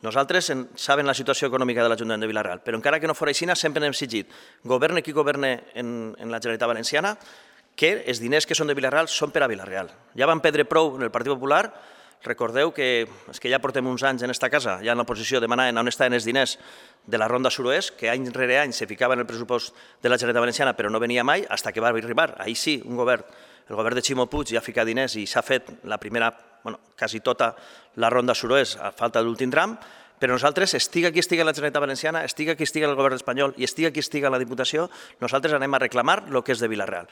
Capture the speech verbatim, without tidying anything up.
Nosaltres sabem la situació econòmica de l'Ajuntament de Vila-real, però encara que no fos així, sempre hem exigit, governe qui governe en la Generalitat Valenciana, que els diners que són de Vila-real són per a Vila-real. Ja vam perdre prou en el Partit Popular, recordeu que és que ja portem uns anys en aquesta casa, ja en l'oposició, demanant on estaven els diners de la Ronda Suroest, que any rere any se ficava en el pressupost de la Generalitat Valenciana, però no venia mai, fins que va arribar. Ahir sí, un govern, el govern de Ximo Puig ja ha ficat diners i s'ha fet la primera, bueno, quasi tota la Ronda Suroest a falta de l'últim tram, però nosaltres, estiga qui estiga la Generalitat Valenciana, estiga qui estiga el govern espanyol i estiga qui estiga la Diputació, nosaltres anem a reclamar el que és de Vila-real.